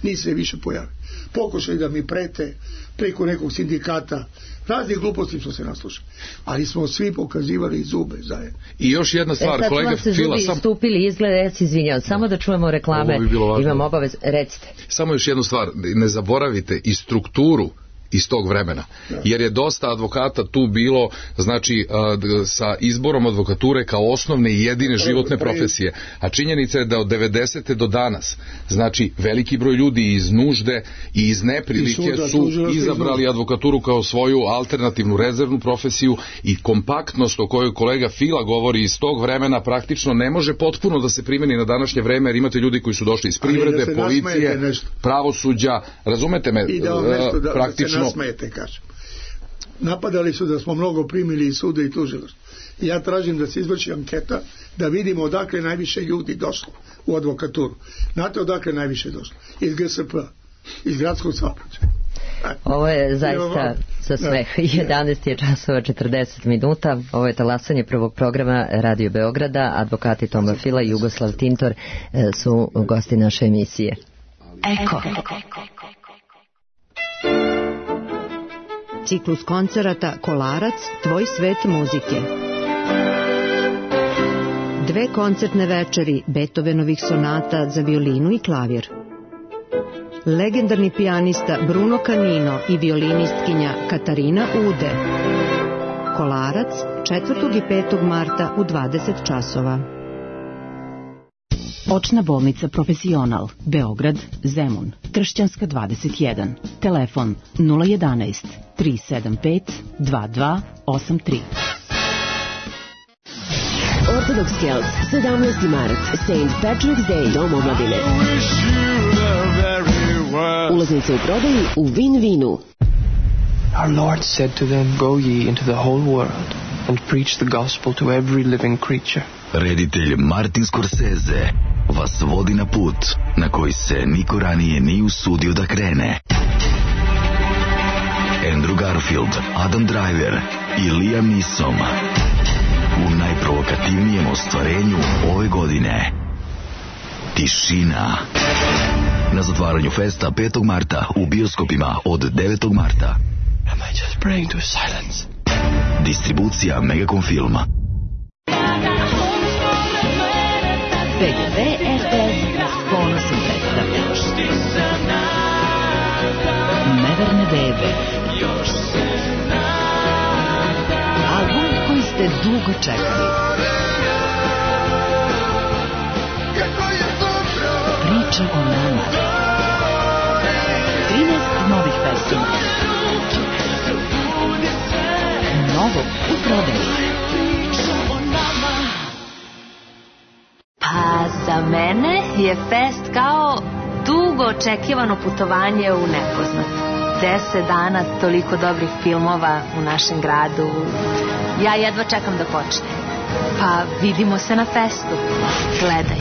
Nisi se više pojavio. Pokušaj da mi prete preko nekog sindikata, raznih gluposti smo se naslušali, ali smo svi pokazivali zube zajedno. I još jedna stvar, kolega Fila, stupili izgleda, ja se izvinjam, samo da čujemo reklame, imam obavez, recite. Samo još jednu stvar, ne zaboravite i strukturu iz tog vremena, jer je dosta advokata tu bilo, znači sa izborom advokature kao osnovne i jedine životne profesije, a činjenica je da od 90. do danas, znači veliki broj ljudi iz nužde i iz neprilike su izabrali advokaturu kao svoju alternativnu rezervnu profesiju, i kompaktnost o kojoj kolega Fila govori iz tog vremena praktično ne može potpuno da se primeni na današnje vreme, jer imate ljudi koji su došli iz privrede, policije, pravosuđa, razumete me, praktično nasmejete, kažem. Napadali su da smo mnogo primili iz suda i tužilaštva. Ja tražim da se izvrši anketa da vidimo odakle najviše ljudi došlo u advokaturu. Znate odakle najviše došlo? Iz GSP, iz gradskog saobraćaja. Ovo je zaista za smeh. 11 je časova 40 minuta. Ovo je talasanje prvog programa Radio Beograda. Advokati Toma Fila i Jugoslav Tintor su gosti naše emisije. Eko. Ciklus koncerata Kolarac, tvoj svet muzike. 2 koncertne večeri Beethovenovih sonata za violinu i klavir. Legendarni pijanista Bruno Canino i violinistkinja Katarina Ude. Kolarac 4. i 5. marta u 20 časova. Očna bolnica Profesional, Beograd, Zemun, Kršćanska 21, telefon 011 375 2283. Orthodox Celts, 17. mart, St. Patrick's Day, Dom omladine. Ulaznice u prodaji u Win-Winu. Our Lord said to them, Go ye into the whole world and preach the gospel to every living creature. Reditelj Martin Scorsese vas vodi na put na koji se niko ranije nije usudio da krene. Andrew Garfield, Adam Driver i Liam Neeson u najprovokativnijem ostvarenju ove godine. Tišina. Na zatvaranju festa 5. marta u bioskopima od 9. marta. Am I just praying to silence? Distribucija Megacom Filma. PGP RTS s ponosom predstavlja Neverne bebe. Album koji ste dugo čekali. Priča o nama. 13 novih pesama. Novo u prodaji. Pa za mene je fest kao dugo očekivano putovanje u nepoznat. 10 dana, toliko dobrih filmova u našem gradu. Ja jedva čekam da počne. Pa vidimo se na festu. Gledaj.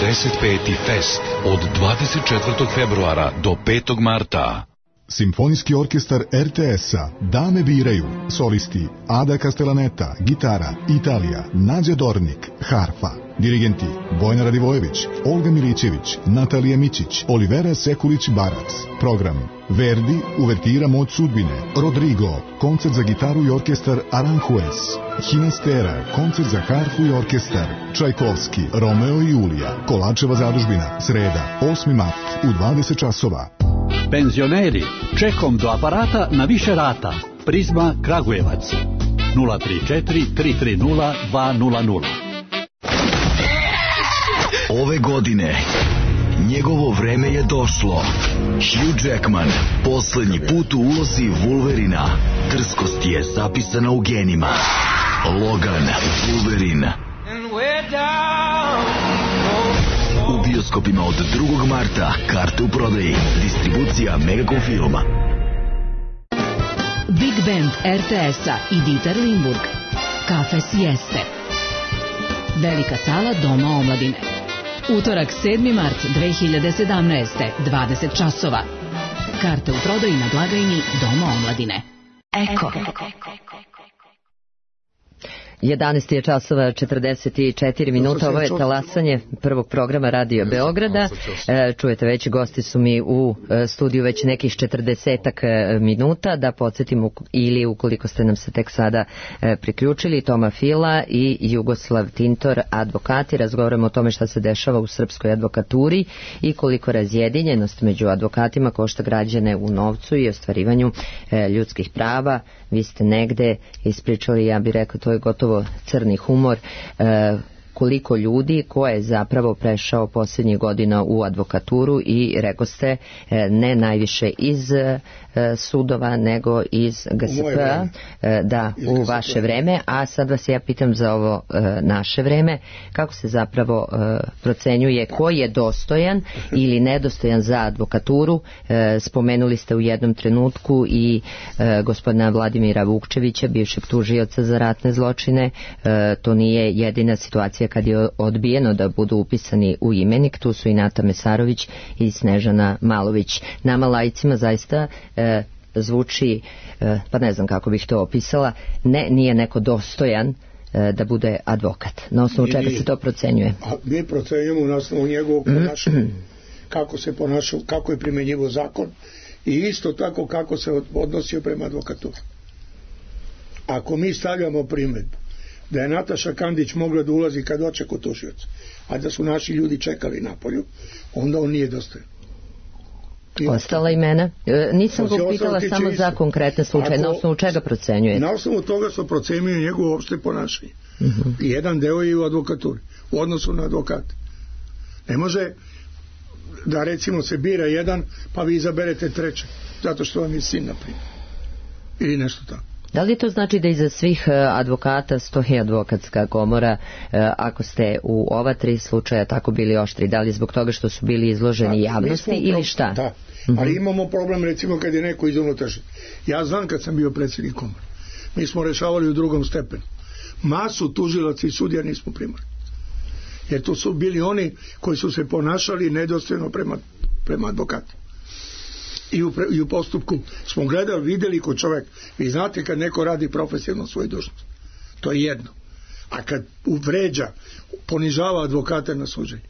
45. fest od 24. februara do 5. marta. Simfonijski orkestar RTS-a Dame biraju. Solisti Ada Castellaneta, gitara, Italija, Nađa Dornik, harfa. Dirigenti Bojana Radivojević, Olga Milićević, Natalija Mićić, Olivera Sekulić-Barac. Program Verdi, uvertira Moć sudbine. Rodrigo, koncert za gitaru i orkestar Aranjuez. Hinastera, koncert za harfu i orkestar. Čajkovski, Romeo i Julija. Kolačeva zadužbina, sreda, 8. mart u 20 časova. Penzioneri, čekom do aparata na više rata. Prizma Kragujevac 034 330 200. Ove godine njegovo vreme je došlo. Hugh Jackman poslednji put u ulozi Wolverina. Drskost je zapisana u genima. Logan, Wolverine. U bioskopima od 2. marta. Karte u prodaji. Distribucija Megacom Filma. Big Band RTS-a i Dieter Limburg. Kafe Sieste. Velika sala Doma omladine. Utorak 7. mart 2017. 20 časova. Karte u prodaji na blagajni Doma omladine. Eko. 11 je časova 44 minuta. Ovo je talasanje prvog programa Radio Beograda. Čujete već, gosti su mi u studiju već nekih 40 minuta. Da podsjetim, ili ukoliko ste nam se tek sada priključili, Toma Fila i Jugoslav Tintor, advokati. Razgovaramo o tome šta se dešava u srpskoj advokaturi i koliko razjedinjenost među advokatima košta građane u novcu i ostvarivanju ljudskih prava. Vi ste negde ispričali, ja bih rekao, to je gotovo crni humor, koliko ljudi ko je zapravo prešao posljednjih godina u advokaturu i rekoste ne najviše iz sudova nego iz GSP-a, da, u vaše vreme, a sad vas ja pitam za ovo naše vreme, kako se zapravo procenjuje ko je dostojan ili nedostojan za advokaturu. Spomenuli ste u jednom trenutku i gospodina Vladimira Vukčevića, bivšeg tužioca za ratne zločine. To nije jedina situacija kad je odbijeno da budu upisani u imenik, tu su i Nata Mesarović i Snežana Malović. Nama laicima zaista zvuči, pa ne znam kako bih to opisala, nije neko dostojan da bude advokat. Na osnovu čega se to procenjuje? Mi procenjujemo na osnovu njegovog ponašanja, kako se ponašao, kako je primjenjivo zakon i isto tako kako se odnosio prema advokaturi. Ako mi stavljamo primjedbu da je Nataša Kandić mogla da ulazi kad hoće kod tužioca, a da su naši ljudi čekali napolju, onda on nije dostojan. Ostala imena? Nisam ga pitala samo za konkretne slučaje. Na osnovu čega procenjujete? Na osnovu toga što procenjuje njegovo opšte ponašanje. Jedan deo je u advokaturi, u odnosu na advokate. Ne može da recimo se bira jedan, pa vi izaberete trećeg, zato što vam je sin, na primjer. Ili nešto tako. Da li to znači da iza svih advokata stoji advokatska komora, ako ste u ova 3 slučaja tako bili oštri? Da li zbog toga što su bili izloženi javnosti ili šta? Da, ali imamo problem recimo kad je neko iz unutrašnje. Ja znam kad sam bio predsjednik komore, mi smo rešavali u drugom stepenu. Masu tužilaca i sudija nismo primali. Jer to su bili oni koji su se ponašali nedostojno prema advokatu. I u postupku smo gledali, vidjeli kod čovjek, vi znate kad neko radi profesionalno svoju dužnost, to je jedno, a kad vređa, ponižava advokata na suđenju,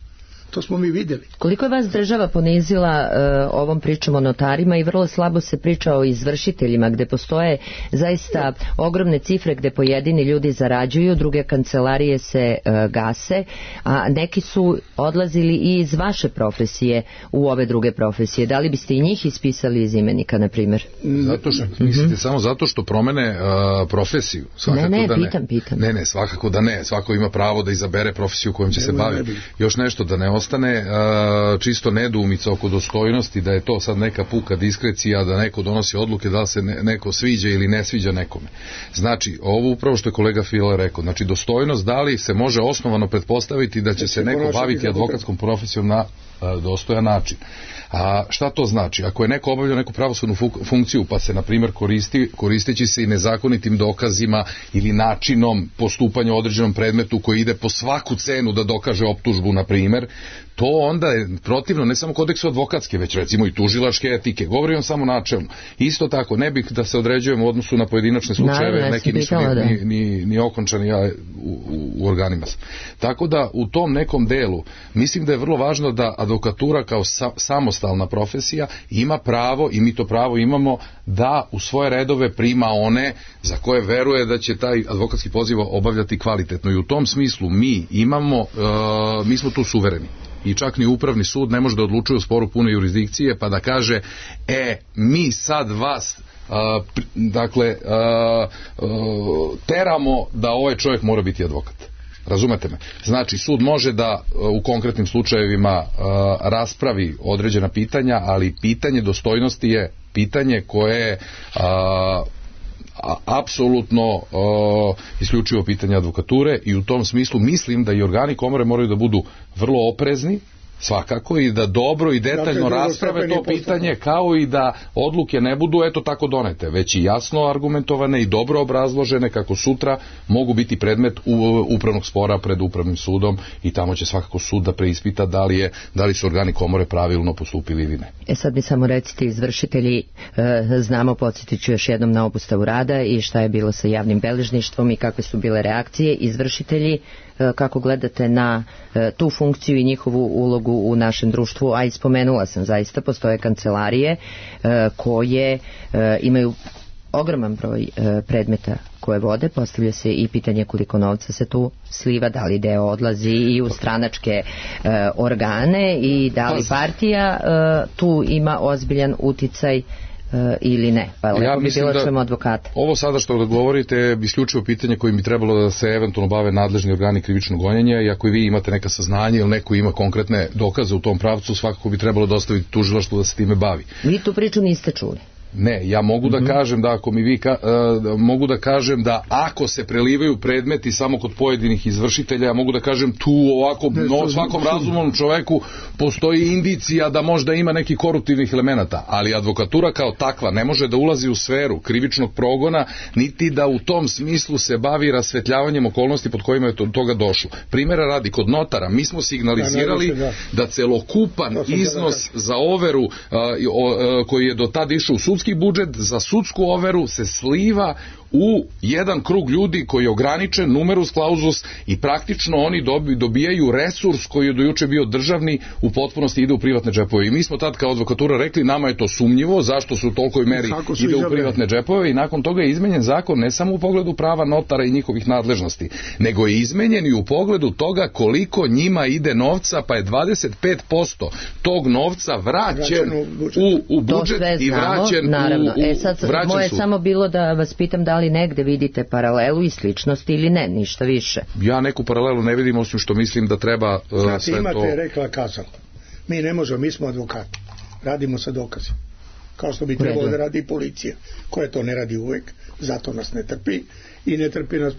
to smo mi vidjeli. Koliko je vas država ponizila ovom pričom o notarima i vrlo slabo se priča o izvršiteljima, gde postoje zaista ogromne cifre gde pojedini ljudi zarađuju, druge kancelarije se gase, a neki su odlazili i iz vaše profesije u ove druge profesije. Da li biste i njih ispisali iz imenika, na primjer? Zato što, mislite samo zato što promene profesiju? Svakako pitam. Ne, svakako da ne. Svako ima pravo da izabere profesiju kojom će se baviti. Još nešto da ne ostane čisto nedoumica oko dostojnosti, da je to sad neka puka diskrecija, da neko donosi odluke da li se neko sviđa ili ne sviđa nekome. Znači, ovo upravo što je kolega Fila rekao, znači dostojnost, da li se može osnovano pretpostaviti da će se neko baviti advokatskom profesijom na dostojan način. A šta to znači? Ako je neko obavljao neku pravosudnu funkciju, pa se na primjer koristeći se i nezakonitim dokazima ili načinom postupanja u određenom predmetu koji ide po svaku cenu da dokaže optužbu, na primjer, to onda je protivno ne samo kodeksu advokatske, već recimo i tužilačke etike. Govorim samo načelno. Isto tako, ne bih da se određujemo u odnosu na pojedinačne slučajeve, neki nisu ni okončani u organima. Tako da u tom nekom delu mislim da je vrlo važno da advokatura kao samostalna profesija ima pravo, i mi to pravo imamo, da u svoje redove prima one za koje veruje da će taj advokatski poziv obavljati kvalitetno. I u tom smislu mi smo tu suvereni. I čak ni upravni sud ne može da odlučuje u sporu pune jurisdikcije pa da kaže mi sad vas teramo da ovaj čovjek mora biti advokat. Razumete me? Znači, sud može da u konkretnim slučajevima raspravi određena pitanja, ali pitanje dostojnosti je pitanje koje je apsolutno isključivo pitanje advokature, i u tom smislu mislim da i organi komore moraju da budu vrlo oprezni, svakako, i da dobro i detaljno rasprave to pitanje, kao i da odluke ne budu eto tako donete, već i jasno argumentovane i dobro obrazložene, kako sutra mogu biti predmet upravnog spora pred upravnim sudom, i tamo će svakako sud da preispita da li su organi komore pravilno postupili ili ne. Sad mi samo recite, izvršitelji, znamo, podsjetit ću još jednom na obustavu rada i šta je bilo sa javnim beležništvom i kakve su bile reakcije. Izvršitelji, kako gledate na tu funkciju i njihovu ulogu u našem društvu? A ispomenula sam, zaista postoje kancelarije koje imaju ogroman broj predmeta koje vode. Postavlja se i pitanje koliko novca se tu sliva, da li deo odlazi i u stranačke organe i da li partija tu ima ozbiljan uticaj ili ne? Pa lepo bi bilo čujemo advokata. Ovo sada što govorite je isključivo pitanje kojim bi trebalo da se eventualno bave nadležni organi krivičnog gonjenja, i ako i vi imate neka saznanja ili neko ima konkretne dokaze u tom pravcu, svakako bi trebalo dostaviti tužilaštvu da se time bavi. Vi tu priču niste čuli? Ne, ja mogu da kažem da ako mi vi mogu da kažem da ako se prelivaju predmeti samo kod pojedinih izvršitelja, ja mogu da kažem tu ovako svakom razumnom čoveku postoji indicija da možda ima neki koruptivnih elemenata, ali advokatura kao takva ne može da ulazi u sferu krivičnog progona, niti da u tom smislu se bavi rasvetljavanjem okolnosti pod kojima je do toga došlo. Primjera radi, kod notara mi smo signalizirali da celokupan iznos za overu koji je do tada išao u sudski budžet za sudsku overu se sliva u jedan krug ljudi koji je ograničen, numerus clausus, i praktično oni dobijaju resurs koji je do juče bio državni, u potpunosti ide u privatne džepove. I mi smo tad kao advokatura rekli, nama je to sumnjivo, zašto su u tolikoj meri ide u privatne džepove, i nakon toga je izmenjen zakon ne samo u pogledu prava notara i njihovih nadležnosti, nego je izmenjen i u pogledu toga koliko njima ide novca, pa je 25% tog novca vraćen u budžet i vraćen u moje samo bilo da vas pitam da li negde vidite paralelu i sličnosti ili ne, ništa više. Ja neku paralelu ne vidim, osim što mislim da treba sve to... Imate rekla kazal. Mi ne možemo, mi smo advokati. Radimo sa dokazima. Kao što bi trebalo da radi policija, koja to ne radi uvek, zato nas ne trpi i ne trpi nas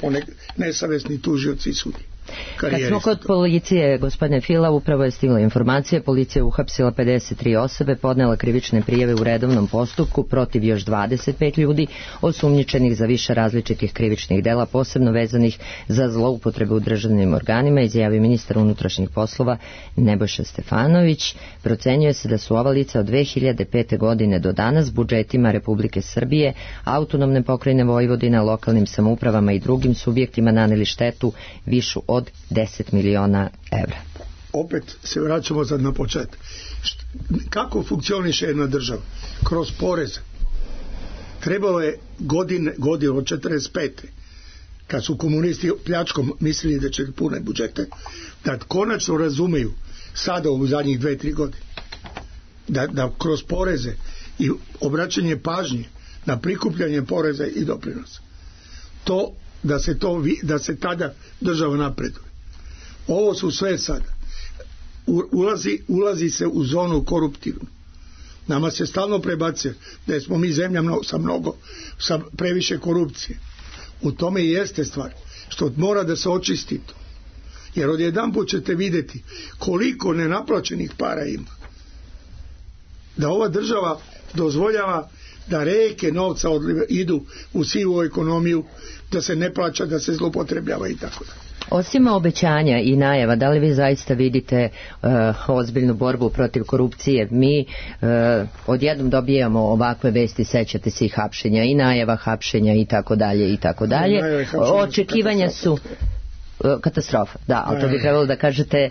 nesavesni tužioci i sudi. Kad smo kod policije, gospodine Fila, upravo je stigla informacija, policija uhapsila 53 osobe, podnela krivične prijave u redovnom postupku protiv još 25 ljudi osumnjičenih za više različitih krivičnih dela, posebno vezanih za zloupotrebu u državnim organima, izjavio ministar unutrašnjih poslova Nebojša Stefanović. Procenjuje se da su ova lica od 2005. godine do danas budžetima Republike Srbije, autonomne pokrajine Vojvodina, lokalnim samoupravama i drugim subjektima naneli štetu višu od 10 miliona evra. Opet se vraćamo sad na početak. Kako funkcioniše jedna država? Kroz poreze. Trebalo je godine od 45. kad su komunisti pljačkom mislili da će pune budžete, da konačno razumeju sada u zadnjih 2-3 godine da kroz poreze i obraćanje pažnje na prikupljanje poreza i doprinosa, to da se tada država napreduje. Ovo su sve sada. Ulazi se u zonu koruptivnu. Nama se stalno prebacuje da smo mi zemlja sa previše korupcije. U tome i jeste stvar. Što mora da se očisti to. Jer odjedanput ćete vidjeti koliko nenaplaćenih para ima. Da ova država dozvoljava da reke novca idu u sivu ekonomiju, da se ne plaća, da se zloupotrebljava i tako da. Osim obećanja i najava, da li vi zaista vidite ozbiljnu borbu protiv korupcije? Mi odjednom dobijamo ovakve vesti, sećate se i hapšenja i najava hapšenja i tako dalje i tako dalje. Očekivanja su katastrofa, da, ali to bi trebalo da kažete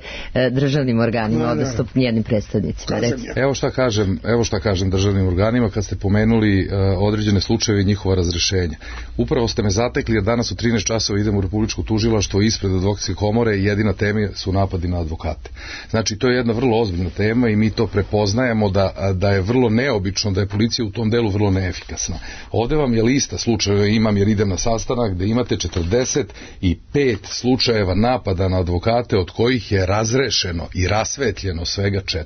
državnim organima, odnosno njenim predstavnicima. Evo šta kažem državnim organima kad ste pomenuli određene slučajeve i njihova razrešenja. Upravo ste me zatekli, jer danas u 13 časova idemo u Republičko tužilaštvo ispred advokatske komore i jedina tema su napadi na advokate. Znači, to je jedna vrlo ozbiljna tema i mi to prepoznajemo da je vrlo neobično, da je policija u tom delu vrlo neefikasna. Ovde vam je lista slučajeva, imam jer idem na sastanak, gde imate 45 slučajeva napada na advokate, od kojih je razrešeno i rasvetljeno svega 4.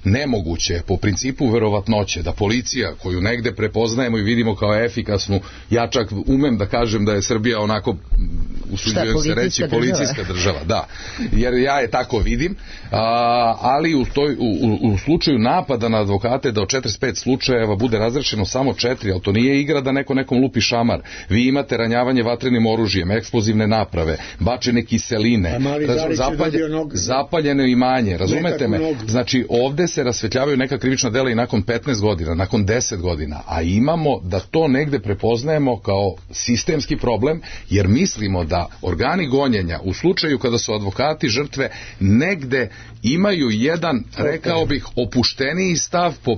Nemoguće je po principu verovatnoće da policija, koju negde prepoznajemo i vidimo kao efikasnu, ja čak umem da kažem da je Srbija onako, usuđujem se reći, policijska država, da, jer ja je tako vidim, ali u slučaju napada na advokate da od 45 slučajeva bude razrešeno samo 4, ali to nije igra da neko nekom lupi šamar. Vi imate ranjavanje vatrenim oružjem, eksplozivne naprave, bačene kiseline, zapaljeno imanje, razumete me? Znači, ovde se rasvetljavaju neka krivična dela i nakon 15 godina, nakon 10 godina, a imamo da to negde prepoznajemo kao sistemski problem, jer mislimo da organi gonjenja u slučaju kada su advokati žrtve negde imaju jedan, rekao bih, opušteniji stav po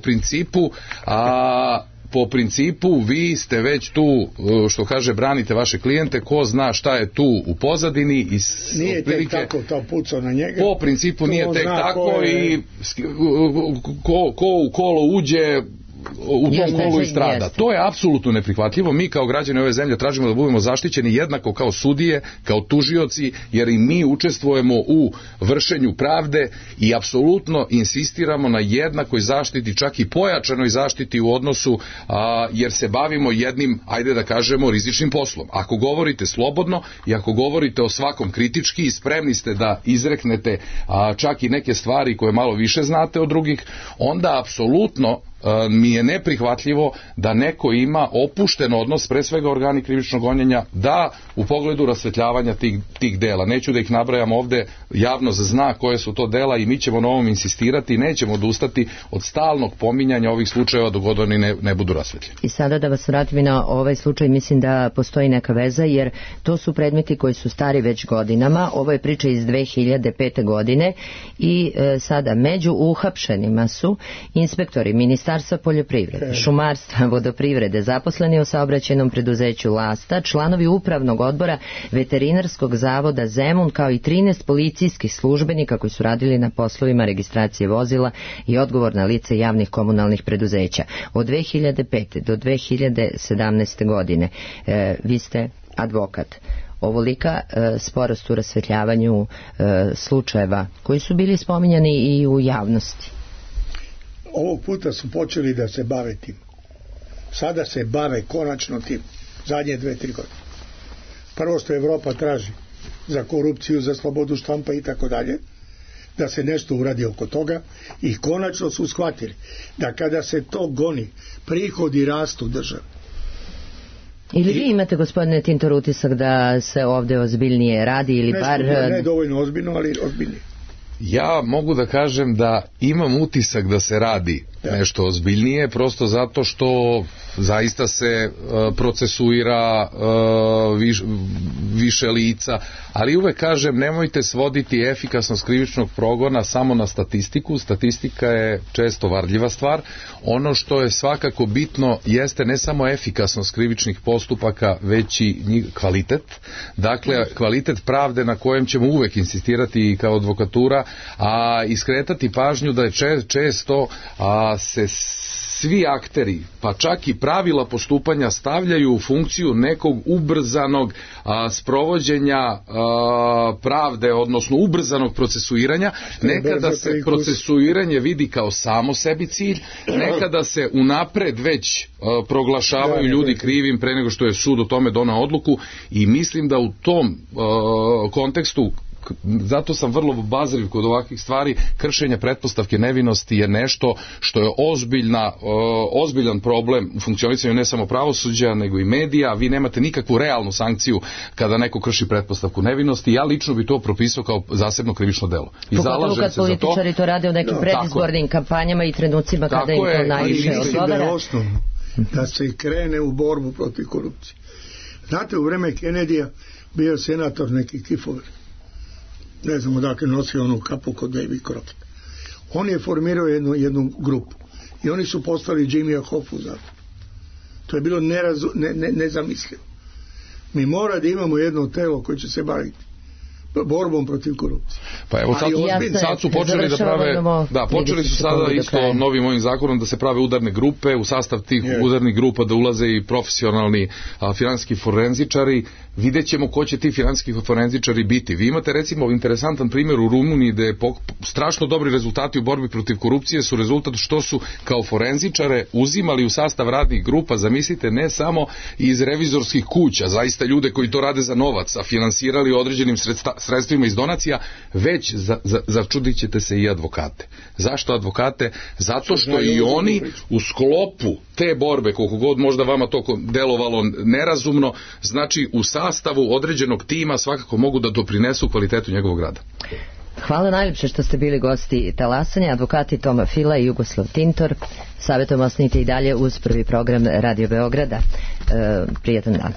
principu vi ste već tu, što kaže, branite vaše klijente, ko zna šta je tu u pozadini. Nije tek tako to pucao na njega. Po principu nije tek tako i ko u kolo uđe, u tom kolu i strada. To je apsolutno neprihvatljivo. Mi kao građani ove zemlje tražimo da budemo zaštićeni jednako kao sudije, kao tužioci, jer i mi učestvujemo u vršenju pravde i apsolutno insistiramo na jednakoj zaštiti, čak i pojačanoj zaštiti u odnosu, jer se bavimo jednim, ajde da kažemo, rizičnim poslom. Ako govorite slobodno i ako govorite o svakom kritički i spremni ste da izreknete čak i neke stvari koje malo više znate od drugih, onda apsolutno mi je neprihvatljivo da neko ima opušten odnos, pre svega organi krivičnog gonjenja, da u pogledu rasvetljavanja tih dela. Neću da ih nabrajam ovde, javnost zna koje su to dela i mi ćemo na ovom insistirati i nećemo odustati od stalnog pominjanja ovih slučajeva dok god oni ne budu rasvetljeni. I sada da vas vratim na ovaj slučaj, mislim da postoji neka veza, jer to su predmeti koji su stari već godinama. Ovo je priča iz 2005. godine i sada među uhapšenima su inspektori Ministarstva poljoprivrede, šumarstva, vodoprivrede, zaposleni u saobraćajnom preduzeću Lasta, članovi upravnog odbora Veterinarskog zavoda Zemun, kao i 13 policijskih službenika koji su radili na poslovima registracije vozila i odgovorna lica javnih komunalnih preduzeća. Od 2005. do 2017. godine vi ste advokat. Ovolika sporost u rasvetljavanju slučajeva koji su bili spominjani i u javnosti. Ovog puta su počeli da se bave tim. Sada se bave konačno tim. Zadnje 2-3 godine. Prvo što Evropa traži za korupciju, za slobodu štampa i tako dalje, da se nešto uradi oko toga, i konačno su shvatili da kada se to goni, prihodi rastu države. Ili vi imate, gospodine Tintor, utisak da se ovde ozbiljnije radi ili bar... Ne dovoljno ozbiljno, ali ozbiljnije. Ja mogu da kažem da imam utisak da se radi nešto ozbiljnije, prosto zato što zaista se procesuira više lica, ali uvek kažem, nemojte svoditi efikasnost krivičnog progona samo na statistiku. Statistika je često varljiva stvar. Ono što je svakako bitno jeste ne samo efikasnost krivičnih postupaka, već i kvalitet. Dakle, kvalitet pravde na kojem ćemo uvek insistirati kao advokatura, a iskretati pažnju da je često se svi akteri, pa čak i pravila postupanja stavljaju u funkciju nekog ubrzanog sprovođenja pravde, odnosno ubrzanog procesuiranja. Nekada se procesuiranje vidi kao samo sebi cilj, nekada se unapred već proglašavaju ljudi krivim pre nego što je sud o tome donao odluku, i mislim da u tom kontekstu, zato sam vrlo obazriv kod ovakvih stvari, kršenje pretpostavke nevinosti je nešto što je ozbiljan problem u funkcionisanju ne samo pravosuđa, nego i medija. Vi nemate nikakvu realnu sankciju kada neko krši pretpostavku nevinosti. Ja lično bi to propisao kao zasebno krivično delo. I pogotovo kad političari to rade u nekim predizbornim kampanjama i trenucima kada im to najviše odgovara. Da je osnovno da se krene u borbu protiv korupcije. Znate, u vreme Kennedyja bio senator neki Kifover, ne znam odakle nosio onu kapu kod Davy Crockett. On je formirao jednu grupu i oni su postali Jimmya Hoffu za to. To je bilo nezamislivo. Mi mora da imamo jedno telo koje će se baviti borbom protiv korupcije. Pa evo sad su počeli da prave, počeli su sada isto novim ovim zakonom da se prave udarne grupe, u sastav tih udarnih grupa da ulaze i profesionalni finansijski forenzičari. Vidjet ćemo ko će ti finansijski forenzičari biti. Vi imate recimo interesantan primjer u Rumuniji gde je strašno dobri rezultati u borbi protiv korupcije su rezultat što su kao forenzičare uzimali u sastav radnih grupa, zamislite, ne samo iz revizorskih kuća, zaista ljude koji to rade za novac, a finansirali određenim sredstvima iz donacija, već začudit ćete se i advokate. Zašto advokate? Zato što i oni u sklopu te borbe, koliko god možda vama to delovalo nerazumno, znači u sastavu određenog tima svakako mogu da doprinesu kvalitetu njegovog rada. Hvala najljepše što ste bili gosti talasanja, advokati Toma Fila i Jugoslav Tintor. Savjetom ostanite i dalje uz prvi program Radio Beograda. Prijatan dan.